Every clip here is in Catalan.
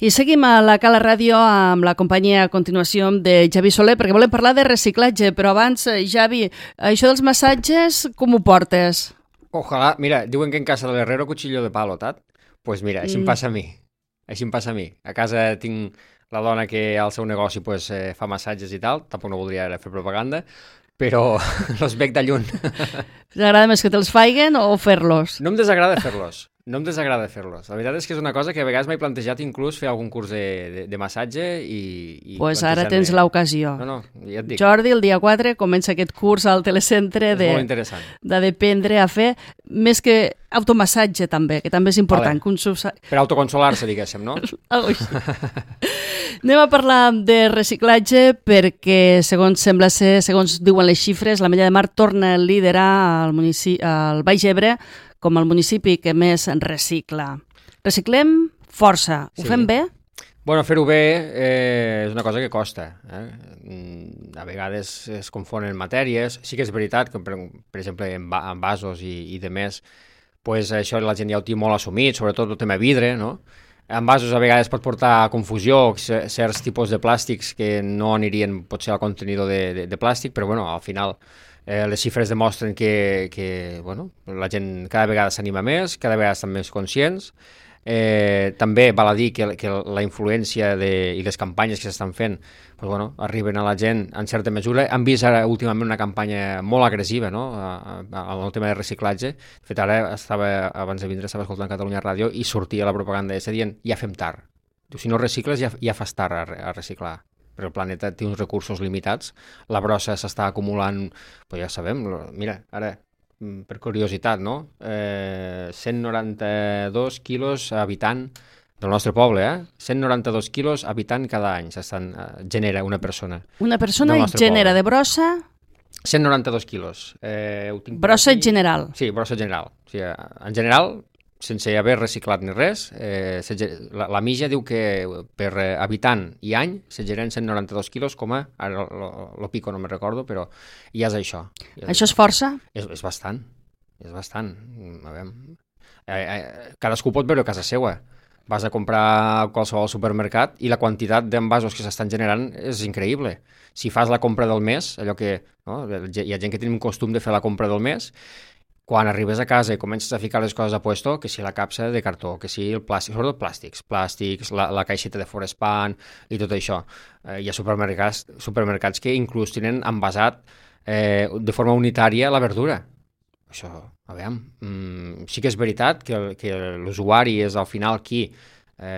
I seguim a la Cala Ràdio amb la companyia a continuació de Javi Soler, perquè volem parlar de reciclatge, però abans, Javi, això dels massatges, com ho portes? Ojalà, mira, diuen que en casa de l'herrero cuchillo de palo, tat? Pues mira, així em passa a mi. Així em passa a mi. A casa tinc la dona que al seu negoci pues, fa massatges i tal, tampoc no voldria fer propaganda, però els veig de lluny. T'agrada més que te'ls faiguen o fer-los? No em desagrada fer-los. No em desagrada fer-los. La veritat és que és una cosa que a vegades m'he plantejat inclús fer algun curs de massatge i pues ara tens l'ocasió. No, ja et dic. Jordi, el dia 4 comença aquest curs al telecentre molt interessant. d'aprendre a fer més que automassatge també, que també és important. Vale. Per autoconsolar-se, diguéssim, no? Anem a parlar de reciclatge perquè, segons sembla ser, segons diuen les xifres, l'Ametlla de Mar torna a liderar al Baix Ebre com el municipi que més recicla. Reciclem força. Ho fem bé? Bueno, fer-ho bé és una cosa que costa. A vegades es confonen matèries. Sí que és veritat que, per exemple, en vasos i de més, pues això la gent ja ho té molt assumit, sobretot el tema vidre, no? En vasos a vegades pot portar confusió certs tipus de plàstics que no anirien potser al contenidor de plàstic, però bueno, al final les xifres demostren que bueno, la gent cada vegada s'anima més, cada vegada estan més conscients. També val a dir que la influència i les campanyes que s'estan fent pues, bueno, arriben a la gent en certa mesura. Han vist ara últimament una campanya molt agressiva, no? Al tema de reciclatge. De fet, ara abans de vindre estava escoltant Catalunya Ràdio i sortia la propaganda aquesta dient ja fem tard. Si no recicles ja fas tard a reciclar. Però el planeta té uns recursos limitats, la brossa s'està acumulant, pues ja sabem, mira, ara, per curiositat, no? 192 quilos habitant del nostre poble, 192 quilos habitant cada any genera una persona. Una persona genera de brossa? 192 quilos. Brossa general? Sí, brossa general. O sigui, en general, sense haver reciclat ni res, la MIJA diu que per habitant i any se generen 192 quilos, ara lo pico no me'n recordo, però ja és això. Això és força? És bastant, és bastant. A veure, cadascú pot veure a casa seva. Vas a comprar a qualsevol supermercat i la quantitat d'envasos que s'estan generant és increïble. Si fas la compra del mes, allò que no, hi ha gent que té un costum de fer la compra del mes, quan arribes a casa i comences a ficar les coses a puesto, que si la capsa de cartó, que si el plàstic, sobretot plàstics, la caixeta de Forespan i tot això. Hi ha supermercats que inclús tenen envasat de forma unitària la verdura. Això, a veure, sí que és veritat que l'usuari és al final qui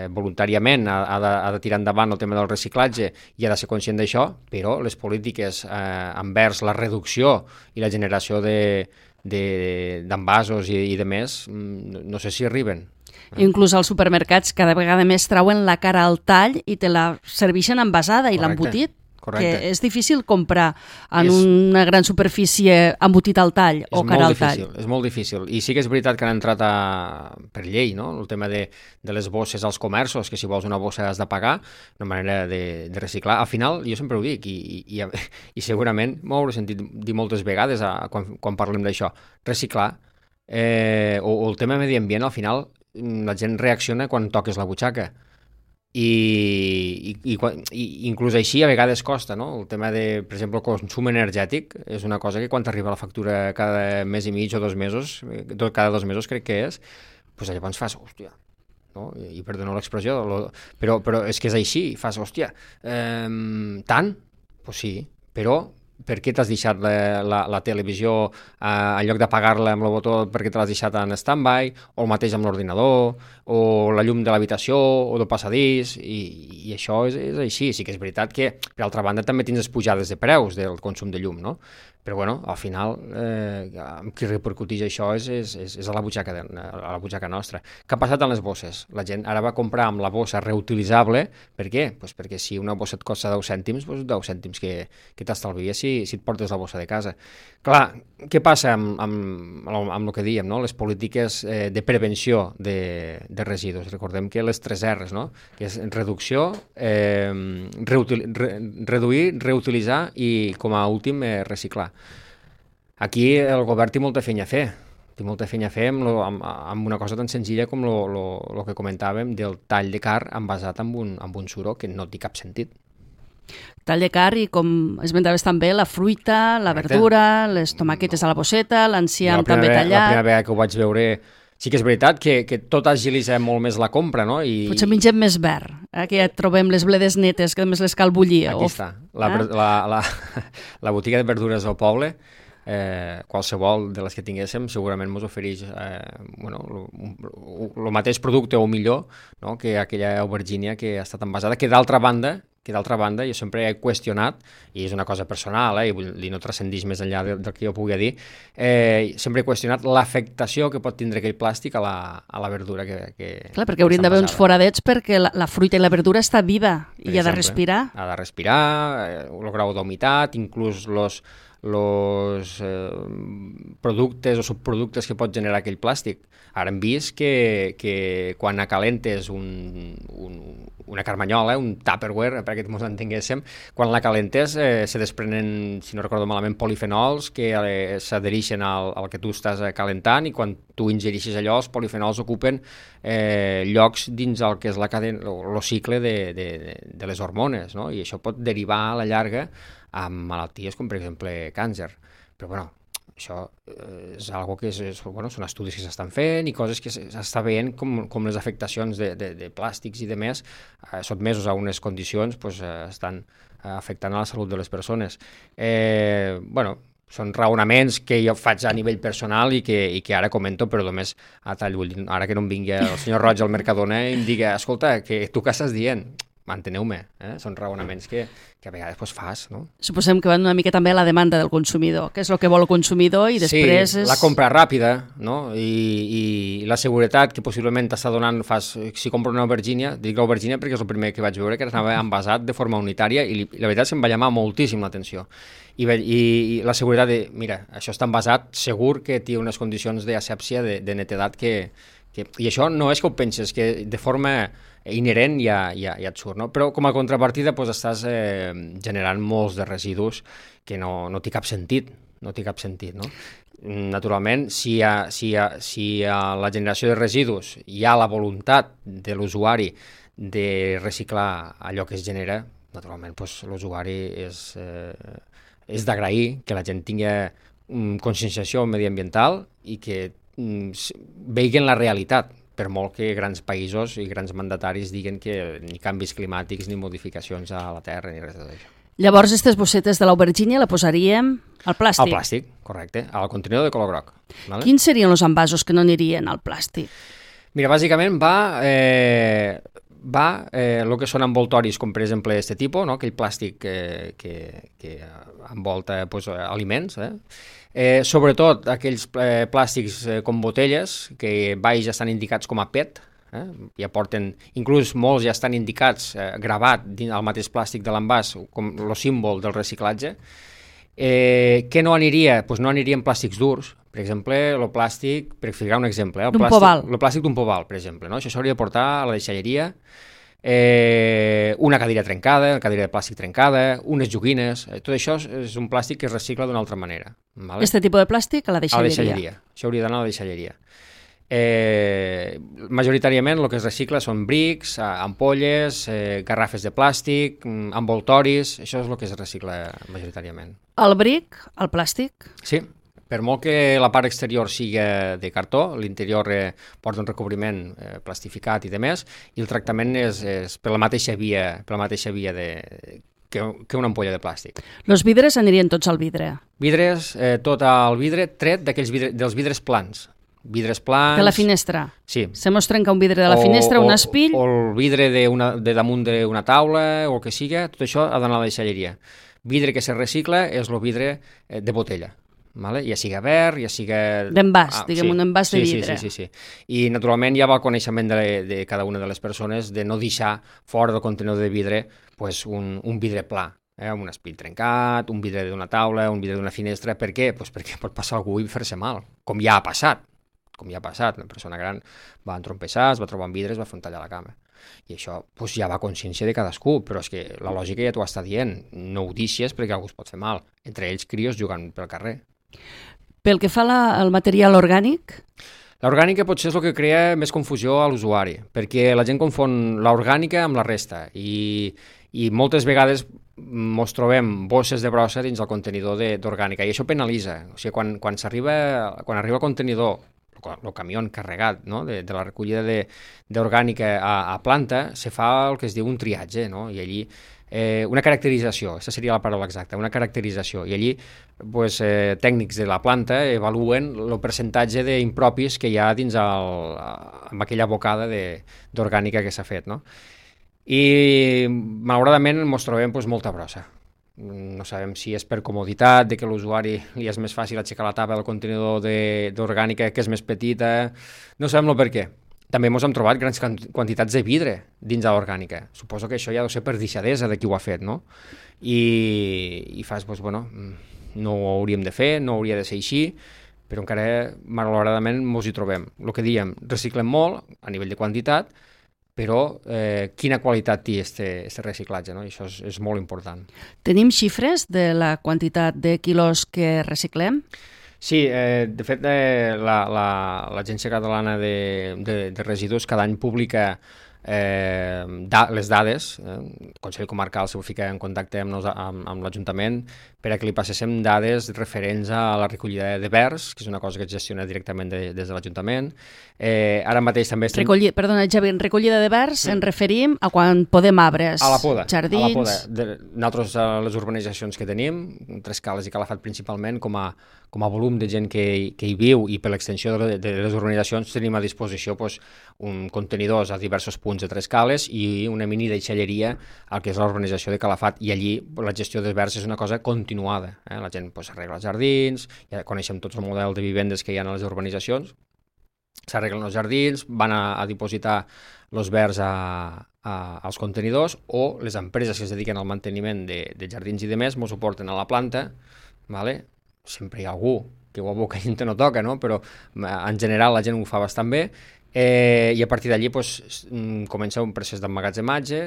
voluntàriament ha de tirar endavant el tema del reciclatge i ha de ser conscient d'això, però les polítiques envers la reducció i la generació d'envasos i de més, no sé si arriben. Inclús als supermercats cada vegada més trauen la cara al tall i te la serveixen envasada i l'embotit, que és difícil comprar en una gran superfície embotit al tall o cara al tall. És molt difícil. I sí que és veritat que han entrat per llei, no? El tema de les bosses als comerços, que si vols una bossa has de pagar, una manera de reciclar. Al final, jo sempre ho dic, i segurament m'ho hauré sentit dir moltes vegades quan parlem d'això, reciclar, o el tema medi ambient, al final la gent reacciona quan toques la butxaca. I inclús així a vegades costa, no? El tema de, per exemple, el consum energètic és una cosa que quan t'arriba la factura cada mes i mig o 2 mesos, cada 2 mesos crec que és, doncs llavors fas, hòstia, no? I perdoneu l'expressió, però és que és així, fas, hòstia, tant? Doncs sí, però per què t'has deixat la televisió en lloc d'apagar-la amb el botó, per què te l'has deixat en stand-by, o el mateix amb l'ordinador, o la llum de l'habitació, o del passadís, i això és així. Sí que és veritat que, per altra banda, també tens les pujades de preus del consum de llum, no? Però, bueno, al final, qui repercuteix això és a la butxaca nostra. Què ha passat amb les bosses? La gent ara va comprar amb la bossa reutilitzable. Per què? Pues perquè si una bossa et costa 10 cèntims, doncs 10 cèntims que t'estalvies si et portes la bossa de casa. Clar, què passa amb el que dèiem, no? Les polítiques de prevenció de residus. Recordem que les 3 R's, no? Que és reducció, reduir, reutilitzar i, com a últim, reciclar. Aquí el govern té molta feina a fer, Té molta feina a fer amb una cosa tan senzilla com lo que comentàvem del tall de carn envasat amb un suro que no té cap sentit. Tall de carn i, com esmentaves també, la fruita, la verdura, les tomaquetes a la bosseta, l'enciam també tallat... La primera vegada que ho vaig veure, sí que és veritat que tot agilitza molt més la compra, no? Potser mengem més verd, que ja trobem les bledes netes, que només les cal bullir. Aquí està, la botiga de verdures del poble, qualsevol de les que tinguéssim segurament ens ofereix el mateix producte o millor, no? Que aquella aubergínia que ha estat envasada, que d'altra banda jo sempre he qüestionat, i és una cosa personal, i no transcendeix més enllà del que jo pugui dir, sempre he qüestionat l'afectació que pot tindre aquell plàstic a la verdura que clar, perquè haurien d'haver uns foradets perquè la fruita i la verdura està viva i ha de respirar. Ha de respirar, el grau d'humitat, inclús els productes o subproductes que pot generar aquell plàstic. Ara hem vist que quan acalentes una carmanyola, un Tupperware, perquè ens entenguéssim, quan la calentes se desprenen, si no recordo malament, polifenols que s'adhereixen al que tu estàs calentant, i quan tu ingereixes allò, els polifenols ocupen llocs dins el que és la cadena, el cicle de les hormones, no? I això pot derivar a la llarga amb malalties com, per exemple, càncer. Però, bueno, això és algo que són estudis que s'estan fent i coses que s'està veient com les afectacions de plàstics i de més sotmesos a unes condicions estan afectant a la salut de les persones. Són raonaments que jo faig a nivell personal i que ara comento, però només a tall d'ull. Ara que no em vingui el senyor Roig al Mercadona i em digui, escolta, que tu què estàs dient? Manteneu-me, són raonaments que a vegades fas, no? Suposem que van una mica també a la demanda del consumidor, que és el que vol el consumidor, i després la compra ràpida, no? I la seguretat que possiblement t'està donant, si compro una aubergínia, dic l'aubergínia perquè és el primer que vaig veure que anava envasat de forma unitària, i la veritat se'm va llamar moltíssim l'atenció. I la seguretat de, mira, això està envasat, segur que té unes condicions d'asèpsia, de netedat i això no és que ho penses, que de forma inherent ja et surt, no? Però com a contrapartida estàs generant molts de residus que no té cap sentit, no? Naturalment, si a la generació de residus hi ha la voluntat de l'usuari de reciclar allò que es genera, naturalment l'usuari és d'agrair que la gent tingui conscienciació mediambiental i que veien la realitat, per molt que grans països i grans mandataris diguen que ni canvis climàtics ni modificacions a la Terra ni res d'això. Llavors, aquestes bossetes de l'aubergínia la posaríem al plàstic? Al plàstic, correcte, al contenidor de color groc. Vale? Quins serien els envasos que no anirien al plàstic? Mira, bàsicament va el que són envoltoris, com per exemple aquest tipus, no? Aquell plàstic que envolta aliments, sobretot aquells plàstics com botelles que baix ja estan indicats com a PET, ja porten, inclús molts ja estan indicats, gravat dins el mateix plàstic de l'envàs com el símbol del reciclatge. Què no aniria? No anirien plàstics durs, per exemple, el plàstic, per ficar un exemple, el plàstic d'un poval, per exemple, no? Això s'hauria de portar a la deixalleria, una cadira trencada, una cadira de plàstic trencada, unes joguines, tot això és un plàstic que es recicla d'una altra manera. Vale? Este tipus de plàstic a la deixalleria. A la deixalleria. Això hauria d'anar a la deixalleria. Majoritàriament el que es recicla són brics, ampolles, garrafes de plàstic, envoltoris, això és el que es recicla majoritàriament. El bric, el plàstic? Sí, per molt que la part exterior sigui de cartó, l'interior porta un recobriment plastificat i demés, i el tractament és per la mateixa via que una ampolla de plàstic. Els vidres anirien tots al vidre? Vidres, tot al vidre, tret dels vidres plans. Vidres plans... De la finestra? Sí. Se mos trenca un vidre de la finestra, un espill... O el vidre de damunt d'una taula, o el que siga, tot això ha d'anar a la deixalleria. Vidre que se recicla és el vidre de botella. Vale? Ja siga verd, ja siga... D'envàs, un envàs de vidre. Sí. I naturalment hi ha el coneixement de cada una de les persones de no deixar fora del contenidor de vidre un vidre pla, un espill trencat, un vidre d'una taula, un vidre d'una finestra. Per què? Perquè pot passar algú i fer-se mal, com ja ha passat. Una persona gran va entrompessar, es va trobar amb vidres, va fer un tall a la cama. I això ja va a consciència de cadascú, però és que la lògica ja t'ho està dient, no ho deixes perquè algú es pot fer mal. Entre ells crios jugant pel carrer. Pel que fa al material orgànic? L'orgànica potser és el que crea més confusió a l'usuari, perquè la gent confon l'orgànica amb la resta i moltes vegades ens trobem bosses de brossa dins el contenidor d'orgànica i això penalitza. O sigui, quan arriba el contenidor, el camió carregat, no? de la recollida d'orgànica a planta, se fa el que es diu un triatge, no? I allí una caracterització, aquesta seria la paraula exacta, una caracterització, i allí pues, tècnics de la planta evaluen el percentatge d'impropis que hi ha dins amb aquella bocada d'orgànica que s'ha fet, no? I malauradament ens trobem pues, molta brossa. No sabem si és per comoditat, de que l'usuari li és més fàcil aixecar la tapa del contenidor d'orgànica que és més petita, no sabem el per què. També ens hem trobat grans quantitats de vidre dins de l'orgànica. Suposo que això ja deu ser per deixadesa de qui ho ha fet, no? I fas, doncs, bueno, no ho hauríem de fer, no hauria de ser així, però encara, malauradament, ens hi trobem. El que diem, reciclem molt a nivell de quantitat, però quina qualitat té aquest reciclatge, no? I això és molt important. Tenim xifres de la quantitat de quilos que reciclem? Sí, de fet l'Agència Catalana de Residus cada any publica les dades, el Consell Comarcal se fica en contacte amb l'Ajuntament per a que li passéssim dades referents a la recollida de verds, que és una cosa que es gestiona directament des de l'Ajuntament. Ara mateix també estem... Perdona, Javi, en recollida de verds ens referim a quan podem arbres, a la poda, jardins... A la poda. Nosaltres, les urbanitzacions que tenim, Trescales i Calafat principalment, com a volum de gent que hi viu i per l'extensió de les urbanitzacions tenim a disposició contenidors a diversos punts de Trescales i una mini deixalleria al que és l'urbanització de Calafat, i allí la gestió dels verds és una cosa continuada. La gent arregla els jardins, ja coneixem tots el model de vivendes que hi ha a les urbanitzacions, s'arreglen els jardins, van a dipositar els verds als contenidors, o les empreses que es dediquen al manteniment de jardins i de més ens ho porten a la planta, vale? Sempre hi ha algú que ho aboca i no toca, no? Però en general la gent ho fa bastant bé, i a partir d'allí comença un procés d'emmagatzematge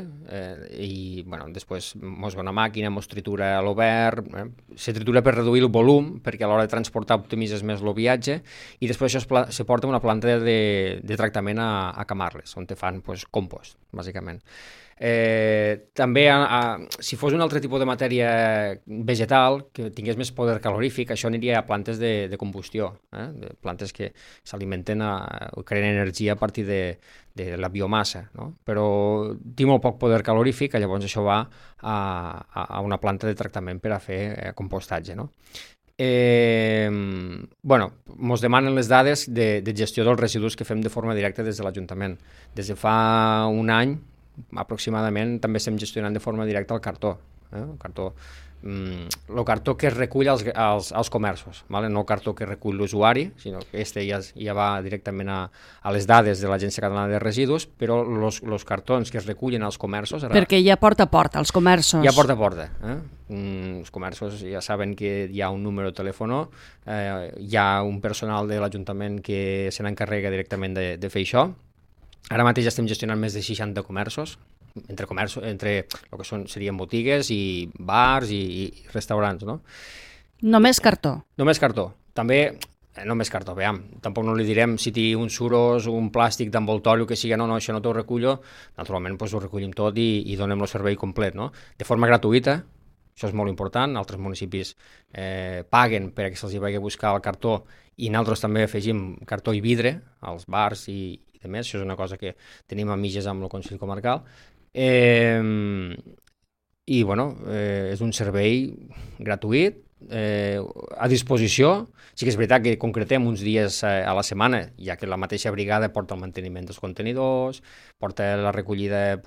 i després mos va una màquina, mos tritura a l'obert, se tritura per reduir el volum perquè a l'hora de transportar optimitzes més el viatge, i després això se porta a una planta de tractament a Camarles, on te fan compost, bàsicament. També si fos un altre tipus de matèria vegetal que tingués més poder calorífic, això aniria a plantes de combustió, de plantes que s'alimenten o creen energia a partir de la biomassa, no? Però té molt poc poder calorífic, llavors això va a una planta de tractament per a fer compostatge, no? Ens demanen les dades de gestió dels residus que fem de forma directa des de l'Ajuntament. Des de fa un any aproximadament també estem gestionant de forma directa el cartó. El cartó que es recull als comerços, no el cartó que recull l'usuari, sinó que ja va directament a les dades de l'Agència Catalana de Residus, però els cartons que es recullen als comerços... Perquè ja porta a porta, als comerços. Ja porta a porta. Els comerços ja saben que hi ha un número de telèfon, hi ha un personal de l'Ajuntament que se n'encarrega directament de fer això. Ara mateix estem gestionant més de 60 comerços, entre el que serien botigues i bars i restaurants, no? Només cartó? Només cartó. També, només cartó, veiem, tampoc no li direm si té un suros o un plàstic d'envoltori o que sigui, no, això no t'ho recullo, naturalment ho recollim tot i donem el servei complet, no? De forma gratuïta, això és molt important, altres municipis paguen per que se'ls vagi a buscar el cartó i nosaltres també afegim cartó i vidre als bars i de més, això és una cosa que tenim a mitges amb el Consell Comarcal, i és un servei gratuït, a disposició. Sí que és veritat que concretem uns dies a la setmana, ja que la mateixa brigada porta el manteniment dels contenidors, porta la recollida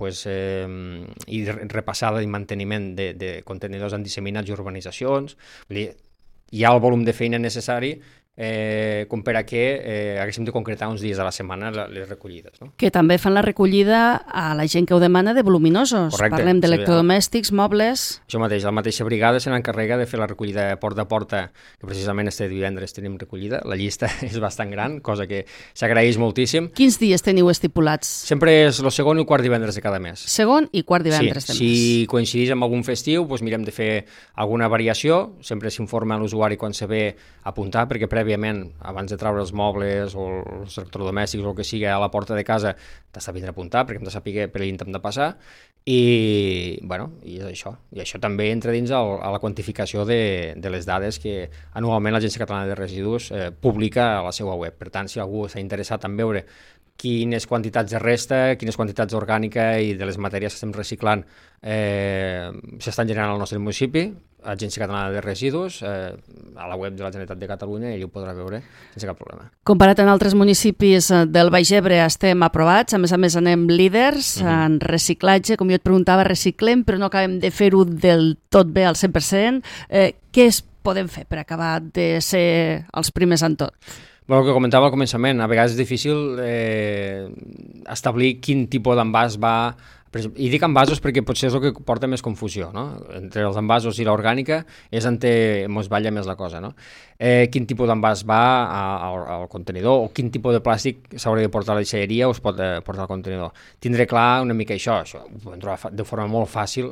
i repassada i manteniment de contenidors en disseminats i urbanitzacions. Hi ha el volum de feina necessari com per a que haguéssim de concretar uns dies a la setmana les recollides. No? Que també fan la recollida a la gent que ho demana de voluminosos. Correcte. Parlem d'electrodomèstics, mobles... Això mateix, la mateixa brigada se n'encarrega de fer la recollida porta a porta, que precisament este divendres tenim recollida. La llista és bastant gran, cosa que s'agraeix moltíssim. Quins dies teniu estipulats? Sempre és el segon i el quart divendres de cada mes. Segon i quart divendres de mes. Si coincideix amb algun festiu, doncs mirem de fer alguna variació. Sempre s'informa a l'usuari quan se ve apuntar, perquè prèviament, abans de treure els mobles o els electrodomèstics o el que sigui a la porta de casa, t'has de vindre a apuntar perquè hem de saber per l'int hem de passar i és això. I això també entra dins a la quantificació de les dades que anualment l'Agència Catalana de Residus publica a la seva web. Per tant, si algú s'ha interessat en veure quines quantitats de resta, quines quantitats orgànica i de les matèries que estem reciclant s'estan generant al nostre municipi, Agència Catalana de Residus, a la web de la Generalitat de Catalunya, i ell ho podrà veure sense cap problema. Comparat amb altres municipis del Baix Ebre estem aprovats, a més anem líders en reciclatge, com jo et preguntava, reciclem, però no acabem de fer-ho del tot bé al 100%. Què podem fer per acabar de ser els primers en tot? El que comentava al començament, a vegades és difícil establir quin tipus d'envàs va... I dic envasos perquè potser és el que porta més confusió, no? Entre els envasos i l'orgànica és on ens balla més la cosa, no? Quin tipus d'envàs va al contenidor o quin tipus de plàstic s'hauria de portar a la deixalleria o es pot portar al contenidor. Tindré clar una mica això ho podem trobar de forma molt fàcil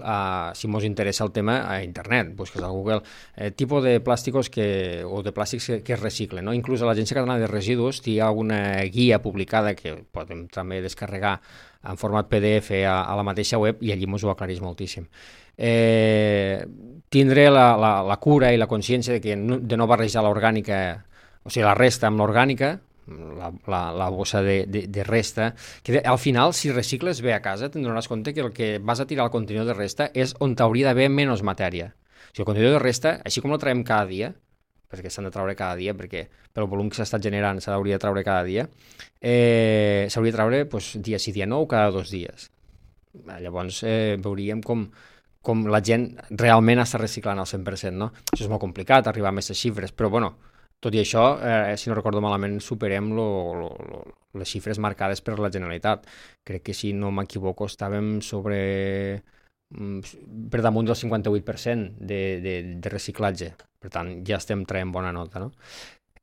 si ens interessa el tema a internet, busques a Google tipus de plàstics o de plàstics que es reciclen, no? Inclús a l'Agència Catalana de Residus hi ha una guia publicada que podem també descarregar en format PDF a la mateixa web i allí ens ho aclareix moltíssim. Tindré la cura i la consciència de no barrejar l'orgànica, o sigui, la resta amb l'orgànica, la bossa de resta, que al final, si recicles bé a casa, te'n donaràs compte que el que vas a tirar al contenidor de resta és on t'hauria d'haver menys matèria. O sigui, el contenidor de resta, així com el traiem cada dia, perquè s'han de treure cada dia, perquè pel volum que s'ha estat generant s'hauria de treure cada dia, s'hauria de treure dia sí, dia no, o cada 2 dies. Llavors veuríem com la gent realment està reciclant al 100%, no? Això és molt complicat, arribar a aquestes xifres, però tot i això, si no recordo malament, superem les xifres marcades per la Generalitat. Crec que, si no m'equivoco, estàvem per damunt del 58% de reciclatge. Per tant, ja estem traient bona nota, no?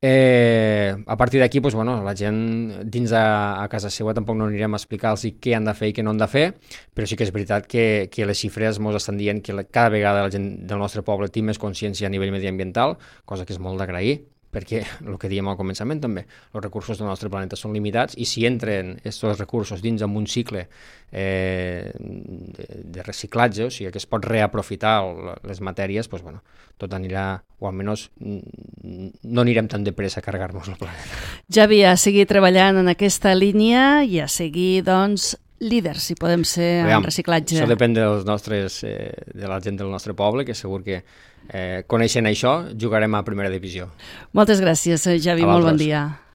A partir d'aquí, la gent dins a casa seva tampoc no anirem a explicar-los què han de fer i què no han de fer, però sí que és veritat que les xifres ens estan dient que cada vegada la gent del nostre poble té més consciència a nivell mediambiental, cosa que és molt d'agrair, perquè el que dèiem al començament també, els recursos del nostre planeta són limitats i si entren aquests recursos dins amb un cicle de reciclatge, o sigui que es pot reaprofitar les matèries, tot anirà, o almenys no anirem tan de pressa a carregar-nos el planeta. Javi, a seguir treballant en aquesta línia i a seguir, líders, si podem ser en reciclatge. Això depèn de la gent del nostre poble, que segur que coneixent això jugarem a primera divisió. Moltes gràcies, Javi, molt bon dia.